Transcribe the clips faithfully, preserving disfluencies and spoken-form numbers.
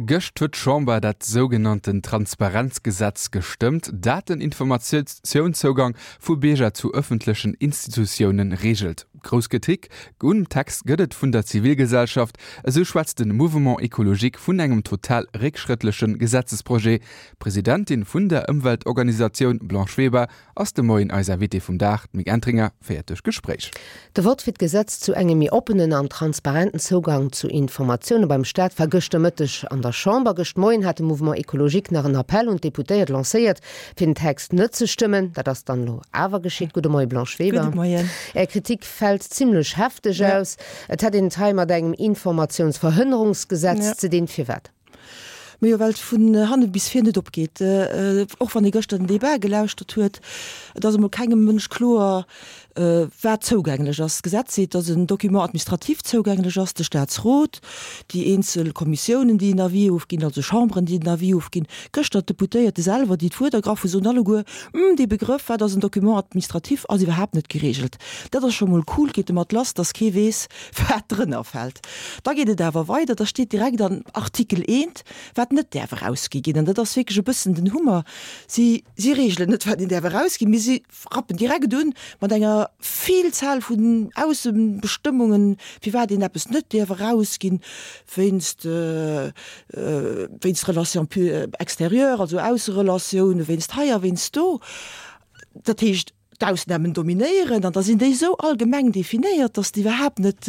Gëscht huet d'Chamber dat sougenannten Transparenzgesetz gestëmmt, dat den Informatiounszougang vu Bierger zu ëffentlechen Institutioune reegelt. Grouss Kritik um Text gëtt et vun der Zivilgesellschaft. Esou schwätzt de Mouvement Ecologique vun engem total réckschrëttleche Gesetzesprojet. D'Presidentin vun der Ëmweltorganisatioun Blanche Weber ass de Moien eis Invitée vum Dag. D'Mick Entringer féiert duerch d'Gespréich. De Vott fir d'Gesetz zu engem méi oppenen an transparenten Zougang zu Informatioune beim Staat war gëschter Mëtteg an der Chamber. Gëscht Moien hat de Mouvement Ecologique nach en Appell un d'Deputéiert lancéiert, fir den Text net ze stëmmen. Dat ass dann elo awer geschitt. Gudde Moie Blanche Weber. Gudde Moien. Är Kritik fält zimmlech hefteg aus. Et hätt een et hei mat engem Informatiounsverhënnerungsgesetz ze dinn. Firwat? Majo, well et vun hanne bis vir net opgeet. Och wann ee gëschter den Debat gelauschtert huet, et ass emol kengem Mënsch kloer, wat zougänglech ass. D'Gesetz seet, datt en Document administratif zougänglech ass, de Staatsrot, déi eenzel Kommissiounen, déi en Avis ofginn, also Chamberen, déi en Avis ofginn. Gëschter d'Deputéierte selwer, déi d'Wuert ergraff hunn, soen alleguer, Hm, dee Begrëff, wat ass en Document administratif, ass iwwerhaapt net geregelt. Dat ass scho mol cool, geet domat lass, datt kee weess, wat drënner fält. Da geet et awer weider, da steet direkt an Artikel eent, wat net däerf erausgi ginn. An dat ass wierklech e bëssen den Hummer. Si, si regelen net, wat een däerf erausginn, mee si rappen direkt un mat enger Vielzahl vun Aussebestëmmungen, firwat een eppes net däerf erausginn, wéinst, wéinst Relations extérieures, also Ausserelatiounen, wéinst hei a wéinst do. Dat heescht, d'Ausnamen dominéieren an da sinn déi esou allgemeng definéiert, dass déi iwwerhaapt net,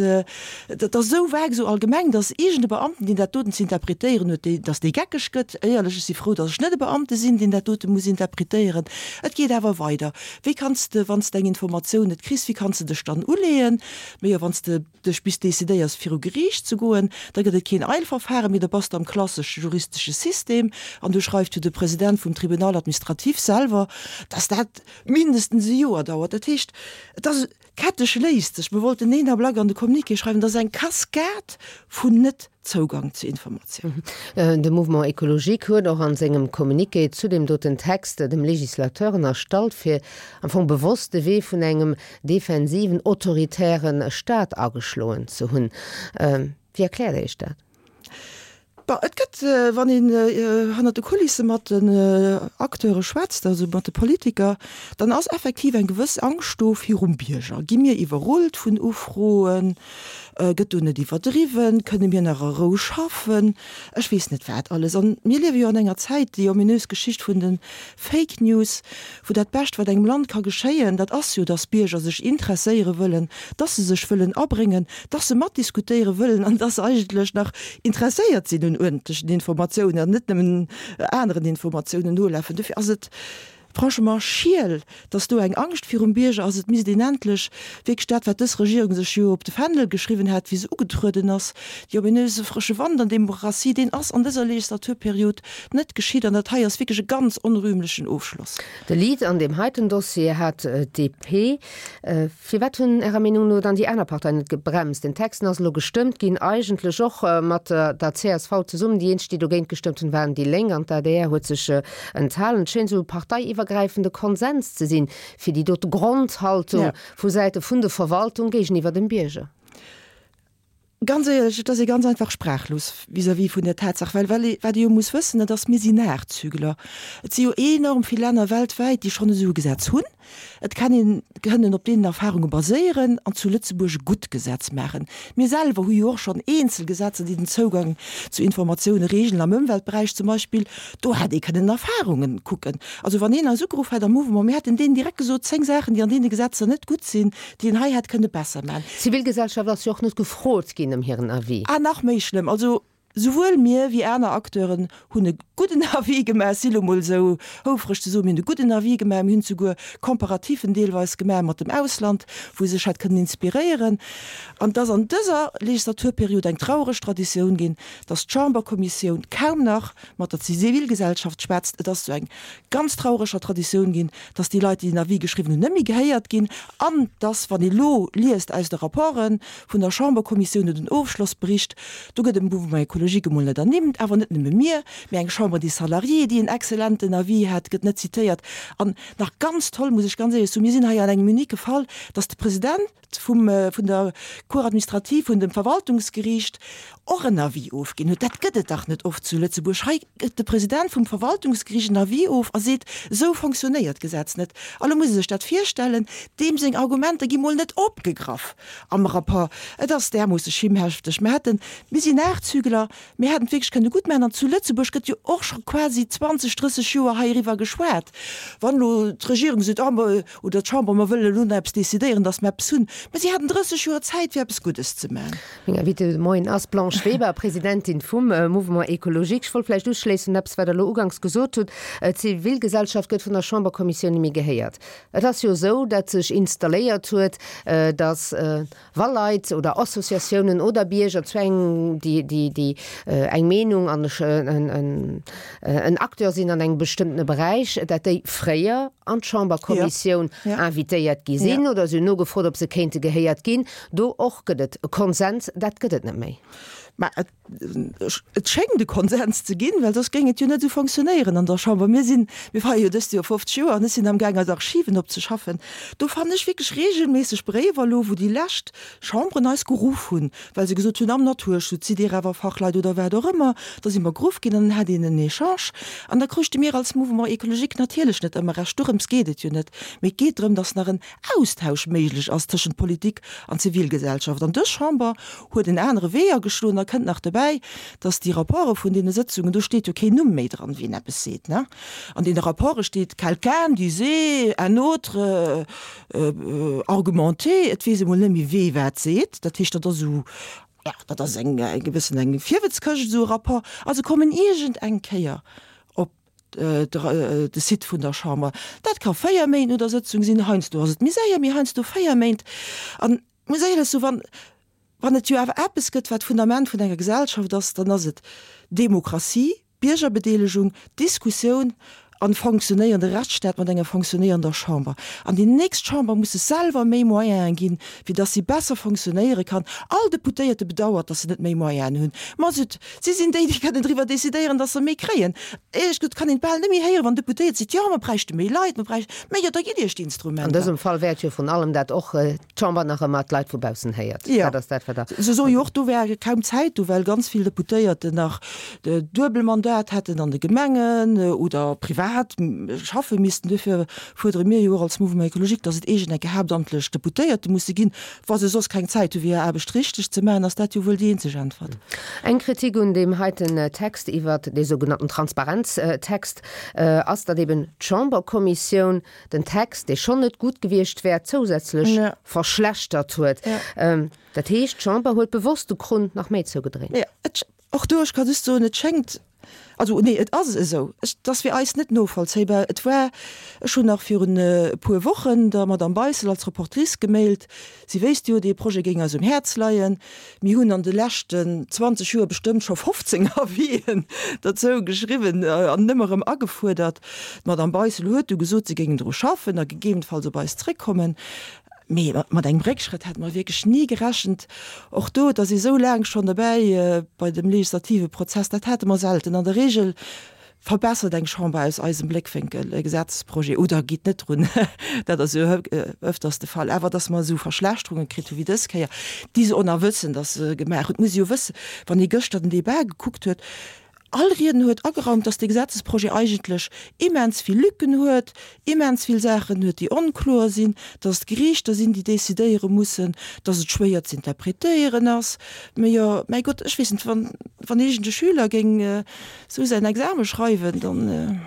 dat ass esou vague, esou allgemeng, dass iergend e Beamten, deen dat doten ze interpretéieren huet, dee, dass dee geckeg gëtt. Éierlech, ech si frou, dass ech net e Beamte sinn, deen dat dote muss interpretéieren. Et geet awer weider. Wéi kanns de, wann s de eng Informatioun net kriss, wéi kanns de dech dann uleeën? Mee jo, wann s de dech bis decidéiers, viru Geriicht ze goen, da gëtt et keen Eilverfahren, mee da bass de am klassesche juristesche System an do schreift jo de President vum Tribunal administratif selwer, dass dat mindestens e Joer dauert. Dat heescht, et ass, d'Kette schléisst sech. Mir wollten een Ablack an de Communiqué schreiwen, et ass eng Kaskad vun Net-Zougang zu Informatiounen. De Mouvement écologique huet och a sengem Communiqué zu deem doten Text dem Législateur ënnerstallt, fir am Fong bewosst de Wee vun engem defensiven, autoritäre Staat ageschloen ze hunn. Wéi erkläert Der Iech dat? Bon, et gëtt, wann een hannert de Kulisse mat den Acteure schwätzt, also mat de Politiker, dann ass effektiv eng gewëss Angscht do virum Bierger. Gi mir iwwerrullt vun Ufroen? Gëtt do net iwwerdriwwen? Kënne mir nach a Rou schaffen? Ech weess net wat alles. An mir liewe jo an enger Zäit, déi ominös Geschicht vun de Fake News, wou dat Bescht, wat engem Land ka geschéien, dat ass jo, dass Bierger sech interesséiere wëllen, dass se sech wëllen abréngen, dass se matdiskutéiere wëllen an dass se eigentlech nach interesséiert sinn un uerdentlechen Informatiounen an net nëmmen aneren Informatiounen nolafen. Dofir ass et franchement schiel, dass do eng Angscht virum Bierger ass. Et misst een endlech wierklech dat, wat dës Regierung sech jo op de Fändel geschriwwen hat, wéi se ugetrueden ass, déi ominöse frësche Wand an Demokratie, deen ass an dëser Legislaturperiod net geschitt. An dat hei ass wierklech e ganz onrühmlechen Ofschloss. De Lead an deem heiten Dossier hat d'DP. Firwat hunn Ärer Meenung no dann déi aner Parteien net gebremst? Den Text ass elo gestëmmt ginn, eigentlech och mat der csv zesummen. Déi eenzeg, déi dogéint gestëmmt hunn, waren déi Lénk an d'ADR huet sech enthalen. Et schéint esou e parteiiwwergräifende Konsens ze sinn, fir déi dote Grondhaltung vu Säite vun de Verwaltung géigeniwwer dem Bierger. Ganz éierlech, et ass ee ganz einfach sprachlos vis-à-vis vun där Tatsaach, well well ee, wat ee jo muss wëssen, dat ass, mir sinn Nachzügler. Et si jo enorm vill Länner weltwäit, déi schonn esou e Gesetz hunn. Et kann een kënnen op deenen Erfahrunge baséieren an zu Lëtzebuerg e gutt Gesetz maachen. Mir selwer hu jo och schonn eenzel Gesetzer, déi den Zougang zu Informatioune regeln, am Ëmweltberäich zum Beispill. Do hätt ee kënnen Erfahrungen kucken. Also wann een eis ugeruff hätt am Mouvement, mir hätten deenen direkt gesot, zéng Saachen, déi an deene Gesetzer net gutt sinn, déi een hei hätt kënne besser maachen. D'Zivilgesellschaft ass jo och net gefrot ginn ëm hiren Avis. Ah, nach méi schlëmm. Also souwuel mir wéi aner Acteuren hunn e gudden Avis gemaach, si elo mol esou houfreg ze soen, mir hunn e gudden Avis gemaach, mir hunn souguer Comparatifen deelweis gemaach mat dem Ausland, wou ee sech hätt kënnen inspiréieren. An et ass an dëser Legislaturperiod eng traureg Traditioun ginn, dass d'Chamberkommissioun kaum nach mat der Zivilgesellschaft schwätzt. Et ass zu eng ganz traureger Traditioun ginn, dass déi Leit, déi den Avis geschriwwen hunn, net méi gehéiert ginn an dass, wann ee lo liest aus de Rapporte vun der Chamberkommissioun oder den Ofschlossbericht, do gëtt dem Mouvement écologique écologique emol net ernimmt, awer net nëmme mir, mee eng Chambre des Salariés, déi en exzellenten Avis hat, gëtt net zitéiert. An nach ganz toll, muss ech ganz éierlech soen, mir sinn hei an engem unique Fall, dass de President vum, vun der Cour administrative vun dem Verwaltungsgeriicht och en Avis ofginn huet. Dat gëtt et dach net oft zu Lëtzebuerg. Hei gëtt de President vum Verwaltungsgeriicht en Avis of a seet, esou fonctionnéiert d'Gesetz net. A lo muss ee sech dat virstellen, deem seng Argumenter gi mol net opgegraff am Rapport. Et ass därmoosse schimmhefteg. Mir hätten, mir sinn Nachzügler, mir hätten et wierklech kënne gutt maachen. An zu Lëtzebuerg gëtt jo och scho quasi zwanzeg, drësseg Joer heiriwwer geschwat. Wann elo d'Regierung seet, ah, oder d'Chamber, mer wëllen elo nach eppes decidéieren, datt mer eppes hunn, mä si haten drësseg Joer Zäit, fir eppes Guddes ze maachen. Meng Invitée de Moien ass d'Blanche Weber, Presidentin vum Mouvement Écologique. Ech wollt vläicht uschléissen un eppes, wat Der elo uganks gesot hutt, D'Zivilgesellschaft gëtt vun der Chamberkommissioun net méi gehéiert. Et ass jo esou, datt sech installéiert huet, datt wa Leit oder Associatiounen oder Bierger zu engem, déi, déi, déi eng Meenung an en Acteur sinn an engem bestëmmtene Beräich, datt déi fréier an d'Chamberkommissioun invitéiert gi sinn oder se hunn nogefrot, ob se kéinte gehéiert ginn. Do och gëtt et e Konsens, dat gëtt et net méi. Mä et, et schéngt e Konsens ze ginn, well soss géing et jo net esou fonctionnéieren an der Chamber. Mir sinn, mir feiere jo dëst Joer fofzeg Joer an ech sinn amgaang eis Archiven opzeschaffen. Do fannen ech wierklech reegelméisseg Bréiwer elo, wou déi lescht Chamberen eis geruff hunn, well se gesot hunn, am Naturschutz sidd Dir awer Fachleit oder wat och ëmmer. Da si mer geruff ginn an dann hat een en Echange. An da kruuchte mir als Mouvement écologique natierlech net ëmmer Recht. Dorëms geet et jo net. Mee et geet drëm, dass nach en Austausch méiglech ass tëschent Politik an Zivilgesellschaft. An dës Chamber huet en anere Wee ageschloen. Da kënnt nach dobäi, dass déi Rapporte vun deene Sëtzungen, do steet jo keen Numm méi dran, wien eppes seet, ne? An deene Rapporte steet quelqu'un disait, un autre argumentait, et weess ee mol net méi, wee wat seet. Dat heescht, dat ass esou, jo, dat ass eng gewëssen eng Virwëtzkëscht, esou e Rapport. A se kommen iergend eng Kéier op de Site vun der Chamber. Dat ka véier Méint no der Sëtzung sinn, heiansdo ass et méi séier, mee heiansdo véier Méint. An ech muss éierlech soen, wann, wann et jo awer eppes gëtt, wat d'Fundament vun enger Gesellschaft ass, dann ass et Demokratie, Biergerbedeelegung, Diskussioun an fonctionnéierende Rechtsstaat mat enger fonctionnéierender Chamber. An déi nächst Chamber muss sech selwer méi Moyene ginn, fir dass si besser fonctionnéiere kann. All Deputéierte bedauert, dass se net méi Moyenen hunn. Ma zut, si sinn déi, déi kënnen driwwer decidéieren, dass se méi kréien. Éierlech gesot kann een et bal net méi héieren, wann Deputéiert seet, jo, mer bräichte méi Leit, mer bräichten, mä jo, da gitt Iech An d'Instrumenter. dësem Fall wäert jo vrun allem dat och d'Chamber nach ëmmer d'Leit vu baussen héiert. Jo, Dat ass dat, wat Der. se soe jo och, do wär kaum Zäit do, well ganz vill Deputéierten nach Duebelmandat hätten an de Gemengen oder privat schaffe missten. Duerfir fuerdere mir jo och als Mouvement écologique, dass et eegen enke haaptamtlech Deputéierte musse ginn. Wa se soss keng Zäit hu fir hir Aarbecht richteg ze maachen, ass dat jo wuel déi eenzeg Äntwert. Eng Kritik un deem heiten Text iwwert dee sougenannten Transparenztext ass, datt eben d'Chamberkommissioun den Text, dee schonn net gutt gewiescht wär, zousätzlech verschlechtert huet. Dat heescht, d'Chamber huet bewosst de Krunn nach méi zougedréint. Jo, et, och do, ech ka just soen, et schéngt, also nee, et ass esou, ech, et ass fir eis net novollzéibar. Et war, ech hunn nach virun e puer Wochen der Madame Beissel als Rapportrice gemailt, si wéisst jo, dee Projet géing eis um Häerz leien. Mir hunn an de leschten zwanzeg Joer bestëmmt scho fofzéng Avisen dozou geschriwwen an ëmmer erëm agefuerdert. D'Madame Beissel huet du gesot, si géingen dru schaffen a gegebenenfalls op eis zréckkommen. Mee mat engem Réckschrëtt hätte mer wierklech ni gerechent. Och do, et ass ee sou laang schonn dobäi bei dem legislative Prozess, dat hate mer selten. An der Regel verbessert eng Chamber aus eisem Bléckwénkel e Gesetzesprojet oder geet net drun, dat ass jo öfters de Fall. Awer datt mer esou Verschlechterunge kritt hu wéi dës Kéier, déi se och nach wëssen, datt se gemaach hunn, et muss ee jo wëssen, wann ee gëschter den Débat gekuckt huet, All Riedner huet ageraumt, dass dee Gesetzesprojet eigentlech immens vill Lücken huet, immens vill Saachen huet, déi onkloer sinn, dass et d'Geriichter sinn, déi decidéiere mussen, dass et schwéier ze interpretéieren ass. Mä jo, mäi Gott, ech weess net, wann, wann iergend e Schüler géing esou säin Exame schreiwen, dann.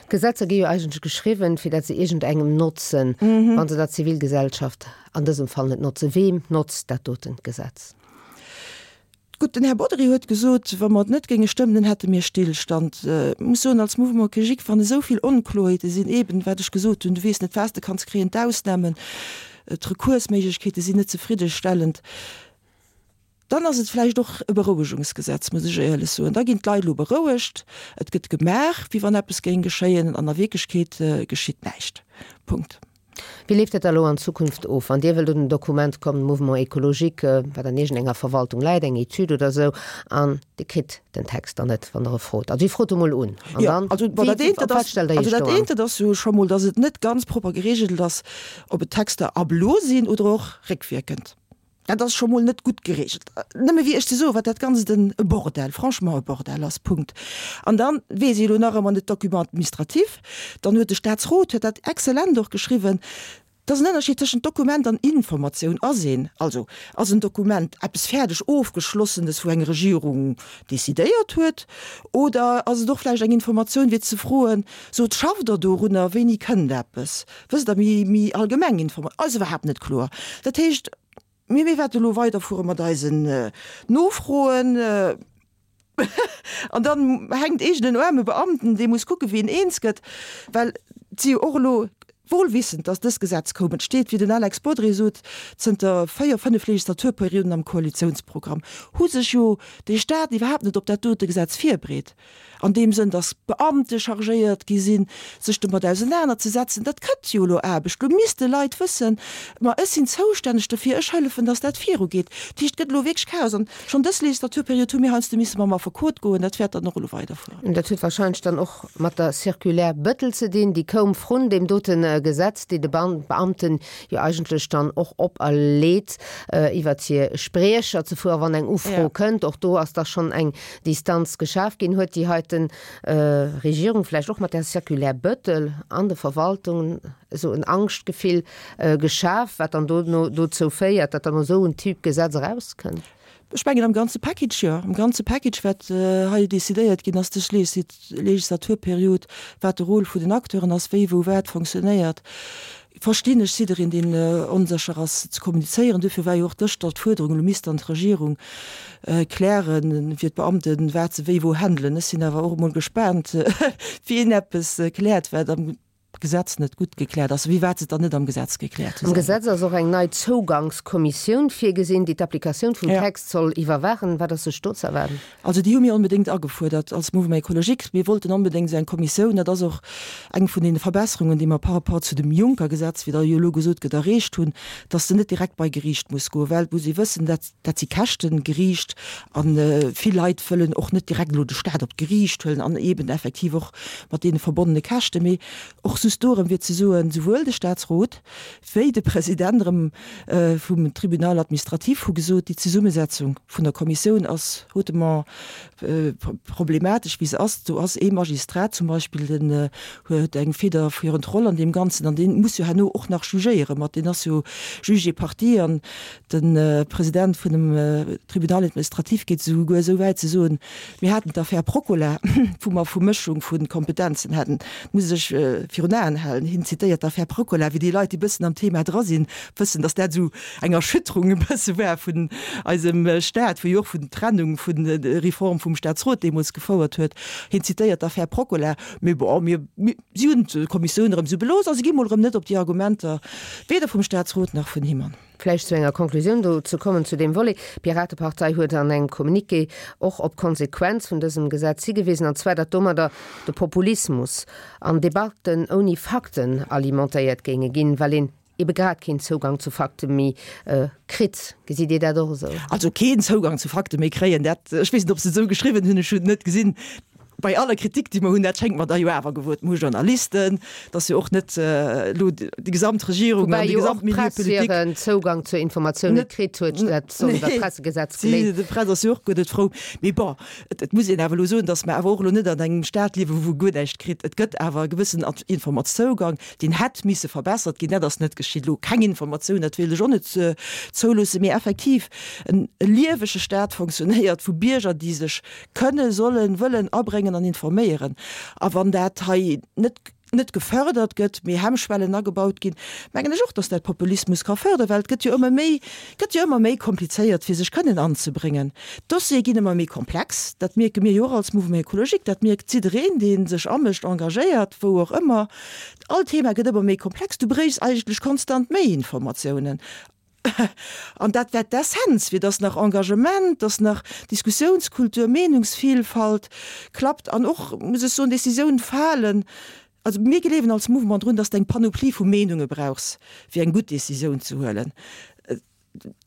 D'Gesetzer gi jo eigentlech geschriwwen, fir dat se iergendengem notzen. Wa se der Zivilgesellschaft an dësem Fall net notzen, weem notzt dat doten Gesetz? Gutt, den Här Bodry huet gesot, wa mer et net géinge stëmmen, dann hätte mir Stillstand. Ech muss soen, als Mouvement écologique, wann esou vill Onkloheete sinn, eeben, wat ech gesot hunn, du weess net, wat s de kanns kréien, d'Ausnamen, d'Rekursméiglechkeete sinn net zefriddestellend, dann ass et vläicht och e Berouegungsgesetz, muss ech éierlech soen. Da ginn d'Leit elo berouegt, et gëtt gemaach, wéi wann eppes géing geschéien, an a Wierklechkeet geschitt näischt. Punkt. Wéi leeft dat da elo an Zukunft of, wann Dir wëllt un en Dokument kommen, Mouvement écologique, wat an iergendenger Verwaltung läit, eng Etüd oder esou, an Dir kritt den Text dann net, wann Der e frot? Also Dir frot emol un, an Jo, dann, also bon, wéi, dat eent, op dat wat ass, stellt Der also Iech dat do an? eent, dat ass jo scho mol, datt et net ganz propper geregelt ass, ob et Texter ab elo sinn oder och réckwierkend. Dat ass scho mol net gutt geregelt. Nëmme wéi ech ze soen, wat dat Ganzt en e Bordell, franchement e Bordell ass, Punkt. An dann weess ech elo nach ëmmer net, Document administratif, dann huet de Statsrot huet dat exzellent och geschriwwen, dass en Ënnerscheed tëschent Dokument an Informatioun ass een. Also ass en Dokument eppes fäerdeg Ofgeschlossenes, wou eng Regierung decidéiert huet, oder ass et och vläicht eng Informatioun, fir ze froen, Sot, schafft Der dorunner, wéini kënnt eppes? Wësst Der, méi, méi allgemeng Informa-, ass iwwerhaapt net kloer. Dat heescht, Mir mir wäerte elo weiderfuere mat eisen Nofroen. An dann hänkt eegenen en aarme Beamten, dee muss kucke wéi en eens gëtt, well et si jo och elo, wohlwissend, datt dëst Gesetz koum, et steet, wéi den Alex Bodry sot, zënter véier, fënnef Legislaturperioden am Koalitiounsprogramm, hu sech jo de Stat iwwerhaapt net op dat dote Gesetz virbereet. An deem Sënn, datt Beamte chargéiert gi sinn, sech domat ausenanerzesetzen. Dat gëtt jo elo Aarbecht. Elo misste Leit wëssen, ma ech sinn zoustänneg dofir, ech hëllefen, datt dat virugeet. Dat heescht, et gëtt elo wierklech Chaos. An schonn dës Legislaturperiod hu mir heiansdo misse mam Affekot goen. Dat wäert dann och elo weiderfueren. Dat huet wahrscheinlech dann och mat der Circulaire Bettel ze dinn, déi koum vrun deem dote Gesetz, déi de Beamten jo eigentlech dann och operleet, iwwert hir Spriecher ze fueren, wann eng Ufro kënnt. Och do ass da schonn eng Distanz geschaf ginn. Huet déi heiten Regierung vläicht och mat där Circulaire Bettel an de Verwaltungen esou en Angschtgefill geschaf, wat dann dono dozou féiert, datt dann esou en Typ Gesetz erauskënnt? Ech mengen am ganze Package, jo, am ganze Package, wat hei decidéiert ginn ass dës Legislaturperiod, wat de Rôle vun den Acteuren ass, wéi wou wat fonctionnéiert, verstinn ech jiddereen, deen onsécher ass ze kommunizéieren. Duerfir war jo och gëschter d'Fuerderung, elo misst dann d'Regierung klären fir d'Beamten, wat se wéi wou handelen. Ech sinn awer och emol gespaant, wien eppes kläert, wat am Gesetz net gutt gekläert ass, wéi wat se dann net am Gesetz gekläert hu Am selwer. Gesetz ass och eng nei Zougangskommissioun virgesinn, déi d'Applikatioun vum Ja. Text soll iwwerwaachen. Wat ass sech do ze erwaarden? Also déi hu mir onbedéngt agefuerdert als Mouvement écologique. Mir wollten onbedéngt esou eng Kommissioun. Dat ass och eng vun deene Verbesserungen, déi mer par rapport zu dem Juncker-Gesetz, wéi da jo elo gesot gëtt, erreecht hunn, dass se net direkt bei Geriicht muss goen, well et muss ee wëssen, dat dat si Käschten, Geriicht, a vill Leit wëllen och net direkt elo de Stat op d'Geriicht huelen an eeben effektiv och mat deene verbonnene Käschten. Mee och just dorëm wier ze soen, souwuel de Statsrot wéi de President erëm vum Tribunal administratif hu gesot, déi Zesummesetzung vun der Kommissioun ass hautement problematesch, wéi se ass. Do ass ee Magistrat zum Beispill, deen huet eng federführend Roll an deem Ganzen an dee muss jo herno och nach jugéiere mat, deen ass jo Juge et partie. An de President vun dem Tribunal administratif geet esouguer esou wäit ze soen, mir haten d'Affär Procola, wou mer Vermëschung vu Kompetenzen haten. Dat muss ee sech virun Aen halen. Hien zitéiert d'Affär Procola, wéi déi Leit, déi e bëssen am Thema dra sinn, wëssen, datt dat esou eng Erschütterung e bësse war vun eisem Staat, wou jo och vun Trennung vun der Reform vum Staatsrot deemools gefouert huet. Hien zitéiert d'Affär Procola. Mee bon, mir, mir, si hunn d'Kommissioun erëm esou belooss a si gi mol erëm net op déi Argumenter weder vum Staatsrot nach vun him an. Vläicht zu enger Konklusioun do ze kommen zu deem Volet. D'Piratepartei huet an engem Communiqué och op d'Konsequenz vun dësem Gesetz higewisen, an zwar datt domadder de Populismus an Debatten ouni Fakten alimentéiert géinge ginn, well een ebe grad keen Zougang zu Fakte méi kritt. Gesitt Dir dat och esou? Also keen Zougang zu Fakte méi kréien, dat, ech weess net, ob se et esou geschriwwen hunn, ech hunn et net gesinn. Bei aller Kritik, déi mer hunn, dat schéngt mer da jo awer gewot. Mer hu Journalisten, et ass jo och net elo déi gesamt Regierung an Woubäi de jo och gesamte Milieu d'Press politique hiren Zougang zur Informatioun net net, kritt huet, dat soll iwwer nee, d'Pressegesetz si, geléist. d'Press ass jo och guer net frou. Mee bon, et, et muss een awer elo soen, datt mer awer och elo net an engem Staat liewen, wou guer näischt kritt. Et gëtt awer e gewëssen Informatzougang, deen hätt misse verbessert ginn. Dat ass net geschitt. Elo keng Informatioun, dat wéilt ech och net zouloossen. Mee effektiv, en liewege Staat fonctionnéiert vu Bierger, déi sech kënne, sollen, wëllen abréngen an informéieren. A wann dat hei net net gefördert gëtt, mee Hemmschwellen agebaut ginn, mengen ech och, dass dat Populismus ka fördern, well et gëtt jo ëmmer méi, gëtt jo ëmmer méi komplizéiert, fir sech kënnen anzebréngen. D'Dossiere ginn ëmmer méi komplex, dat mierke mir jo och als Mouvement écologique, dat mierkt jiddereen, dee sech amëscht, engagéiert, wou och ëmmer. All Thema gëtt ëmmer méi komplex, du bréichs eigentlech konstant méi Informatiounen. An dat wär d'Essenz, fir dass nach Engagement, dass nach Diskussiounskultur, Meenungsvielfalt klappt an och, muss ech soen, Décisioun falen Also mir gleewen als Mouvement drun, dass de eng Panoplie vu Meenunge brauchs, fir eng gutt Decisioun ze huelen.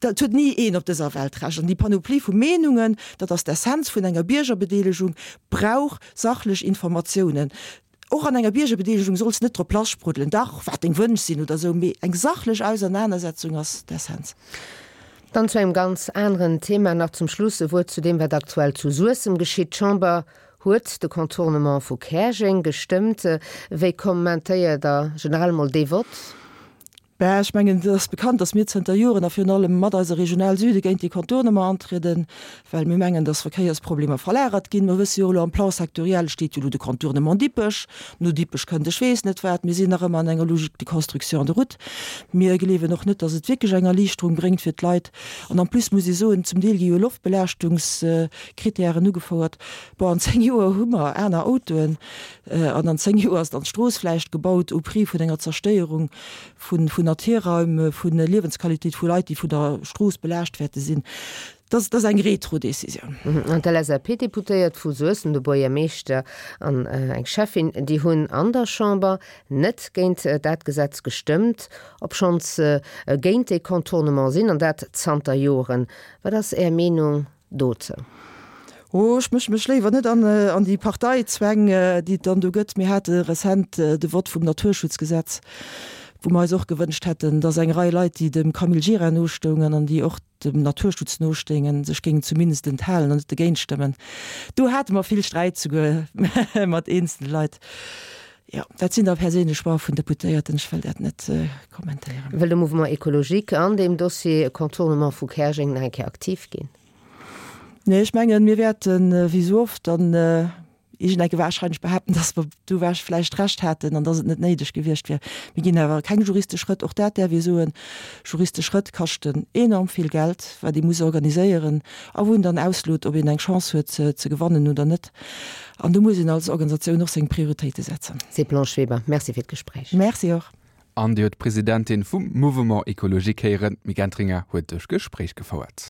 Dat huet ni een op dëser Welt Recht. An déi Panoplie vu Meenungen, dat ass d'Essenz vun enger Biergerbedeelegung, brauch sachlech Informatiounen. Och an enger Biergerbedeelegung solls net drop lassspruddelen, dach, wat deng Wënsch sinn oder esou, mee eng sachlech Ausernanersetzung ass d'Essenz. Dann zu engem ganz aneren Thema nach zum Schluss e Wuert zu deem, wat aktuell zu Suessem geschitt. D'Chamber huet de Contournement vu Käerjeng gestëmmt. Wéi kommentéiert Der generell mol dee Vott? Bah, ech mengen, et ass bekannt, datt mir zënter Joren a virun allem mat eiser Regional Süde géint dee Contournement antrieden, well mir mengen, datt Verkéiersproblemer verlagert ginn. Mer wësse jo elo, am Plan sectoriel steet jo elo de Contournement Dippech. No Dippech kënnt ech weess net wat. Mir sinn nach ëmmer an enger Logique de construction de route. Mir gleewen och net, datt et wierklech eng Erliichterung bréngt fir d'Leit. An en plus muss ee soen, zum Deel gi jo Loftbelaaschtungskritären ugefouert. Bon, an zéng Joer hu mer aner Autoen an an zéng Joer ass dann d'Strooss vläicht gebaut au prix vun enger Zerstéierung vun Naturraim, vu Liewensqualitéit vu Leit, déi vun der Strooss belaascht wäerte sinn. Dat ass eng Retro-Decisioun. An d'LSAP-Deputéiert vu Suessem, de Buergermeeschter an eng Schäffin, déi hunn an der Chamber net géint dat Gesetz gestëmmt, obschonns se géint dee Contournement sinn, an dat zanter Joren. Wat ass Är Meenung dozou? Oh, ech mësche mech léiwer net an an déi Parteizwäng, déi et dann do gëtt. Mir hate rezent de Vott vum Naturschutzgesetz, wou mer eis och gewënscht hätten, datt eng Rei Leit, déi dem Camille Gira nostoungen an déi och dem Naturschutz nostéingen, sech géingen zumindest enthalen an net dogéint stëmmen. Do hate mer vill Sträit souguer mat eenzele Leit. Jo, dat sinn da perséinlech Choix vun Deputéierten, ech wëll dat net kommentéieren. Wëll de Mouvement Ecologique an deem Dossier Contournement vu Käerjeng nach eng Kéier aktiv ginn? Nee, ech mengen, mir wäerten, wéi esou oft, dann iergendecke warscheinlech behaapten, dass mer do vläicht Recht haten an dass et net néideg gewiescht wier. Mir ginn awer keng juristesch Schrëtt, och dat däerf ee soen. Juristesch Schrëtt kaschten enorm vill Geld, wat ee muss organiséieren a wou een dann auslot, ob een eng Chance huet ze gewannen oder net. An do muss een als Organisatioun och seng Prioritéite setzen. Seet d'Blanche Weber. Merci fir d'Gespréich. Merci och. An Dir huet d'Presidentin vum Mouvement Ecologique héieren. D'Mick Entringer huet duerch d'Gespréich gefouert.